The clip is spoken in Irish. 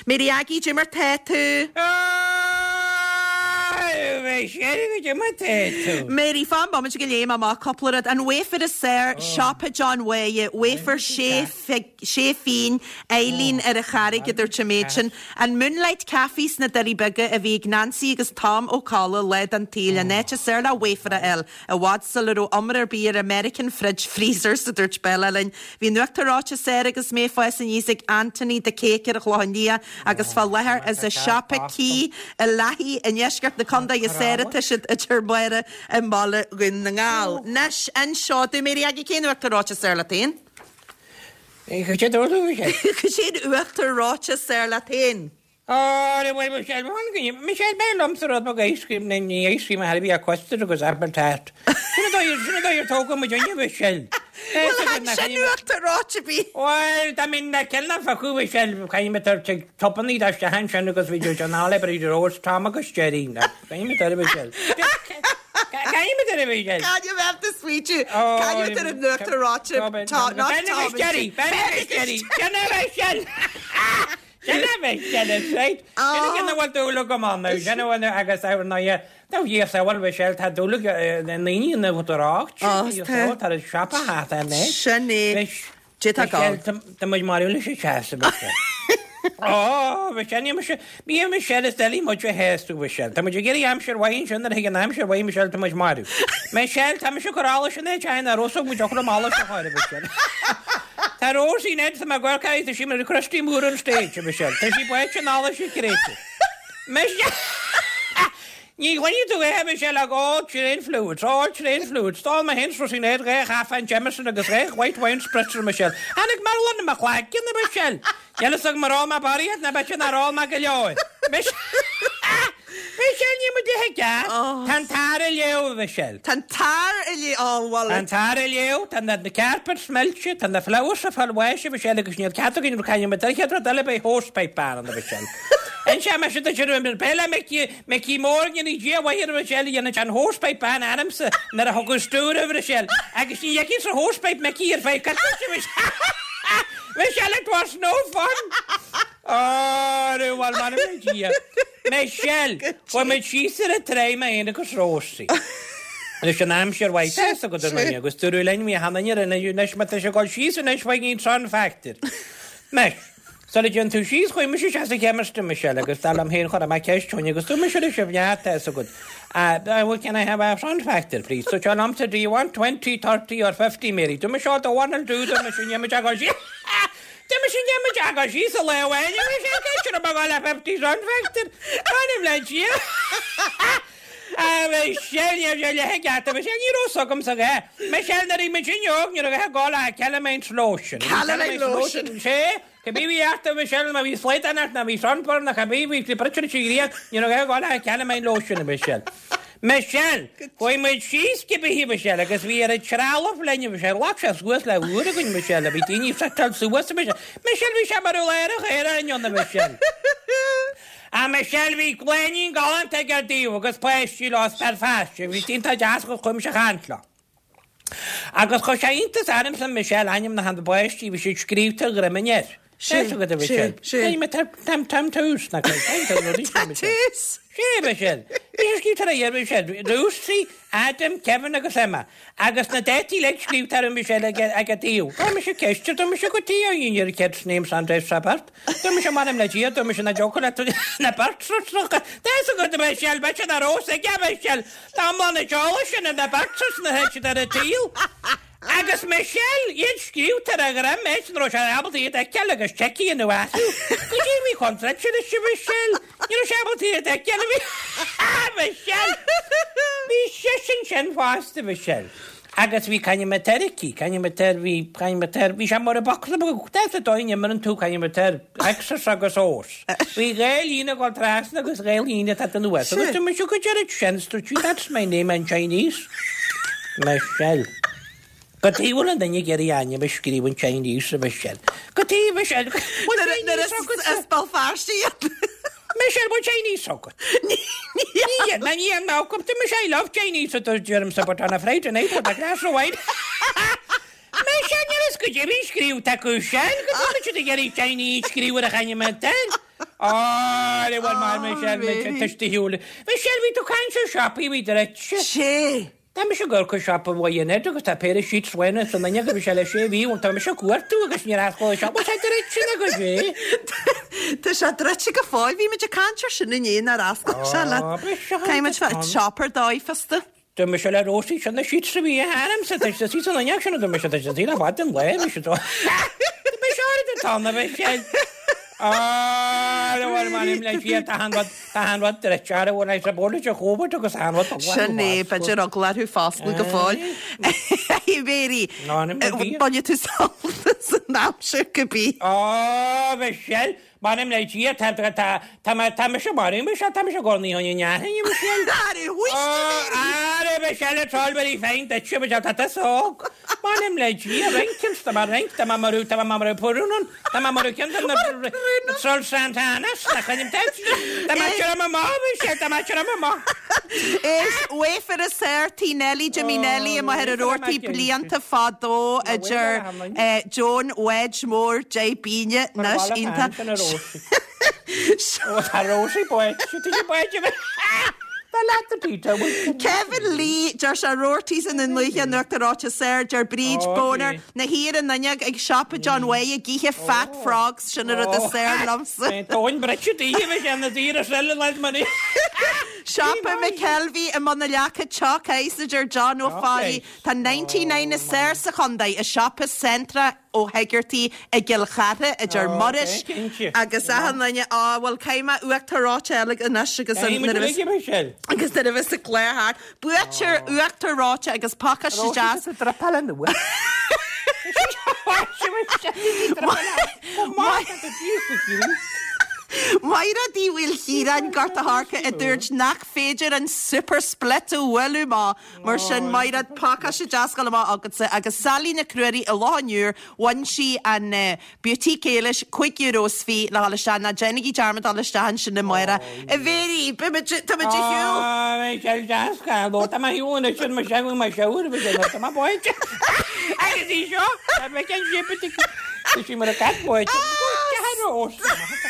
Mary Aggie, Cad é mar tá tú? Michelle, cad é mar tá tú? Mary, fan bomaite go léigh mé amach cúpla rud. An wafer is fearr, Siopa John Mháire, wafer sé phingin, Eileen ar an Charraig a dúirt an méid sin. An Moonlight Cafe sna Doirí Beaga a bhí ag Nancy agus Tom Ó Colla lá den tsaol, an áit is fearr le wafer a fháil. I bhfad sula raibh iomrá ar bith ar American fridge freezers, a dúirt Bella linn. Bhí an uachtar reoite is fearr agus mé ag fás aníos ag Anthony the Cake ar an Chlochán Liath agus fá láthair is i siopa Key i Lathaí i ndeisceart na contae is fearr atá siad a deir Máire i mBaile Dhún na nGall. Anois, inis domh, Mary Aggie, cén uachtar reoite is fearr leat féin? Cad é dúirt tú, Michelle? Cén uachtar reoite is fearr leat féin? Ó, bhuel, Michelle, Michelle, b'fhearr liomsa rud beag ice cream, ní ní ice cream a bhí custard agus apple tart. Sin an dóigh, sin an dóigh ar tógadh muid inniu, Michelle. Bhuel, chan sin uachtar reoite ar bith. Bhuel, dá mbeinn na ceann na focail, Michelle, caithfidh mé tabhairt ag topannaí dá isteach ansin agus bhí John Oliver, Rose, Tom agus Jerry. Caithfidh mé tabhairt, Michelle. Caithfidh mé tabhairt, Michelle. Caithfidh mé tabhairt sweetie. Caithfidh mé tabhairt an uachtar reoite. Tá, not Ben agus Jerry, Ben agus Jerry, Sin é, Michelle. Sin é Michelle, is right. Sin é ina bhfuil dúil agam ann, sin a bhfuil agus ar ndóighe, dá Dhia sábháil Michelle, tá dúil ag na ndaoine ina bhfuil Ó, tá. Tá an siopa thart ar mé. Sin é. Dé tá gá. Tá muid marbh leis an teas, a Michelle. Ó, Michelle, ní mise, ní Michelle is doiligh muid a shásamh, Michelle. Tá muid ag iarraidh aimsir mhaith ansin nuair a thig an aimsir mhaith, Michelle, tá muid marbh. Michelle, tá mise ag cur allas in áit aon ar fhosóg muid ocra allas a chur, Michelle. Tá Rosie Ned tá mé ag amharc tá sí mar Christy Moore on stage, a Michelle. Tá sí báite in allas a créite. Michelle! Ní ghloinfidh tú é, a Michelle, ach all train fluids, all train fluids. D'ól mé féin 's Rosie Ned 2 chaife an Jameson agus 2 white wine spritzer, a Michelle. Tháinig mearbhall i mo chloigeann, a Michelle. Níl fhios agam ar ól mé barraíocht ná b'fhéidir nár ól mé go leor. Michelle! Michelle, níl muid ag ithe. Tá an t-ár ag léamh, a Mhichelle. Tá an t-ár ag léamh, ó, bhuel. Tá an t-ár ag léamh, tá na carpets millte, tá na flowers ag fáil bháis, a Mhichelle, agus níl cead againn caint ar an chéad rud eile beidh hosepipe ban ann, a Mhichelle. Inseoidh mise duit ar an bpeile Mickey, Mickey Mór, go ndéana Dia a mhaith air, a Mhichelle, a dhéanann an hosepipe ban ormsa nuair a thugadh stiúir, a Mhichelle, agus ní fheicfidh sa hosepipe Mickey ar feadh coicíse, a Mhichelle. Michelle, it was no fun! Ó, bhuel, m'anam le Dia. Michelle, Chuaigh muid síos ar an traigh mé fhéin agus Rósaí. Leis an aimsir mhaith tá fhios agat ar ndóigh agus dúradh linn bhí achan duine ar an anois má tá sé ag dul síos anois faigh an sun factor. Anois, sula dtéann tú síos chuaigh mise isteach sa chemist a Michelle agus dar liom féin chuir mé ceist chugainn agus dúirt mise leis an bhfear tá fhios agat ah, well can I have a sun factor please? Dúirt sé liomsa do you want 20, 30 or 50 Mary? Dúirt mise oh the one will do dúirt mise níl muid ag dul síos. D'imigh mise d'imigh agus síos sa lá amháin agus sé cé raibh mé ag dul le 50 sun factor. M'anam le Dia. Ah, Michelle, ní raibh sé leith ag geata, Michelle, ní raibh fhios agamsa é. Michelle, nuair a bhí muid óg, ní raibh a dhath ag dul ach calamine lotion. Calamine lotion. Sé, cibé bhí ort, Michelle, má bhí slaghdán ort, nó bhí sunburn, nó cibé bhí bruite leis an ghrian, ní raibh a dhath ag dul ach calamine lotion, Michelle. Michelle, Chuaigh muid síos cibé, Michelle, agus bhí oiread trealamh linn, Michelle, ghlac sé suas le uair againn, Michelle, bhí daoine ag suiteáil suas, Michelle, Michelle, bhí sé mar a bheadh aerach aeráin ann, Michelle. Ah, Michelle, bhí clainnín galánta ag ar dtaobh agus páistí leo as Belfast, bhí siad iontach deas agus chuaigh mise a chaint leo. Agus chuir sé iontas ormsa, Michelle, ainmneacha na bpáistí, bhí siad scríobhta ar dhroim an fhir. Sé, sé, sé. Tá tús, nach bhfuil? Tá tús! Sé, Michelle. Bhí sé scríobhta ar a dheireadh, Michelle. Lucy, Adam, Kevin agus Emma. Agus na dátaí uilig scríobhta orthu, Michelle, ag a dtaobh. Chuir mise ceist air, dúirt mise cad chuige your kids' names on this birth. Dúirt mise m'anam le Dia, dúirt mise nach dtiocfadh leat na birth certs Tá fhios agat, Michelle, b'fhéidir nach raibh fhios aige, Michelle. Tá iomlán an eolais sin ar na birth certs na thit siad ar an tsaol. Agus Michelle, iad scríobhta ar a dhroim, áit nach raibh sé ábalta iad a fheiceáil agus seic a dhéanamh astu. Goidé a bhí contráilte leis a Mhichelle? Ní raibh sé ábalta iad a fheiceáil, a bhí Michelle! Bhí seisean sin fosta, Michelle. Agus bhí cainneamatar aici, cainneamatar, bhí cainneamatar, bhí sé mar a bocsa beag, that's the dóigh a n-imreann tú cainneamatar, X's agus O's. Bhí dhá líne ag dul trasna agus dhá líne ag teacht anuas. Agus dúirt mise cad é sin, dúirt sí, that's my name in Chinese. Michelle. Cad chuige a bhfuil an duine ag iarraidh a ainm a scríobh in Chinese, a Michelle. Cad chuige, Michelle, bhfuil Chinese agat? As Béal Feirste iad. Michelle, bhfuil Chinese agat? Níl, ná ní an Malcolm, dúirt mise I love Chinese, a deirimse, but on a Friday night with a glass of wine. Michelle, níl fhios goidé a bhí scríobhta acu sin, cad chuige a bhfuil siad ag iarraidh Chinese scríobh ar a ainm air. Á, bhuel mar Michelle, tuistíúil. Michelle, bhí tú caint ar siopaí, bhí druidte. Sé. Tá mise ag dul chuig siopa Mhaigh Ionaid agus tá péire sheets uainn san fhuinneog a bhí sé le sé mhí ó tá mise ag cuartú agus níor oscail an siopa, tá sé druidte nó go sé. Tá sé druidte go fóill, bhí muid ag caint ar sin inné nár oscail sé leat. Caithfidh muid fáil siopa ar dóigh fosta. Dúirt mise le Rósaí, sin na sheets a bhí a'msa, tá siad san fhuinneog sin, a dúirt mise, tá siad le fada an lá, bhí siad Tá mise áirid an t-am a bheith sé. Á, bhuel, m'anam le Dia, tá an rud, tá an rud druidte, ara bhuel, is a bord a chóbhart agus an rud a Sin é, b'fhéidir eagla orthu foscladh go fóill. A Mhéirí, bainfidh tú sult as an aimsir cibé. Á, Michelle, M'anam le Dia, tá, tá, tá mé, tá mise maraithe, Michelle, tá mise ag gabháil ní hionann neathain, Michelle. Are, whuist, a Mhéirí! Are, Michelle, it's all very fine duitse, Michelle, tá tusa óg. M'anam le Dia, rince, tá mé rince, tá mé marú, tá mé marú purún ann, tá mé marú ceann de na Troll Santanas, tá chuinim duit, tá mé tirim amach, Michelle, tá mé tirim amach. Is wafer is air Tí Nellie Jimmy Nellie amuigh ar an Rabhartaigh blianta fadó idir Joan Wedge Mór Dé Bíne anois iontach. Kevin Lee, deir sé Roarty's i nDún Lúiche an uachtar reoite soir, deir Bríd Boner, na thiar an fhuinneog ag siopa John Way ag ithe fat frogs, sin an rud is saor liomsa. Siopa McKelvey i mBun na Leaca Chalk Ice a deir John Ó Fathaigh. Tá 99 is saor sa chontae i siopa Centra Ó hEigeartaigh i gCill Chartha, a deir Muiris, agus achan duine, á, bhuel, caithfidh mé uachtar reoite eile anois agus an, nuair a bheas, agus nuair a bheas an clár thart. Buaiteoir uachtar reoite agus pacáiste deas. Maighread Uí Mhaoilchiaráin, Gort a' Choirce, a dúirt nach féidir an Super Split a bhualadh amach. Mar sin, Maighread, pacáiste deas ag dul amach agatsa agus Sally Nic Ruairí i Loch an Iúir, bhain sí an Boutique Éilis, €5 is fiche le dhul isteach, ná déanaigí dearmad dul isteach ansin amárach. A Mhéirí, beimid, táimid ar shiúl! Á, bhí sé deas, go tá mé ar shiúl anois ar mo sheal, mo shower, bhí sé tá mé báite. Agus í seo, tá mé cén sipit, tá sí mar a cat báite. Go, ceathair os.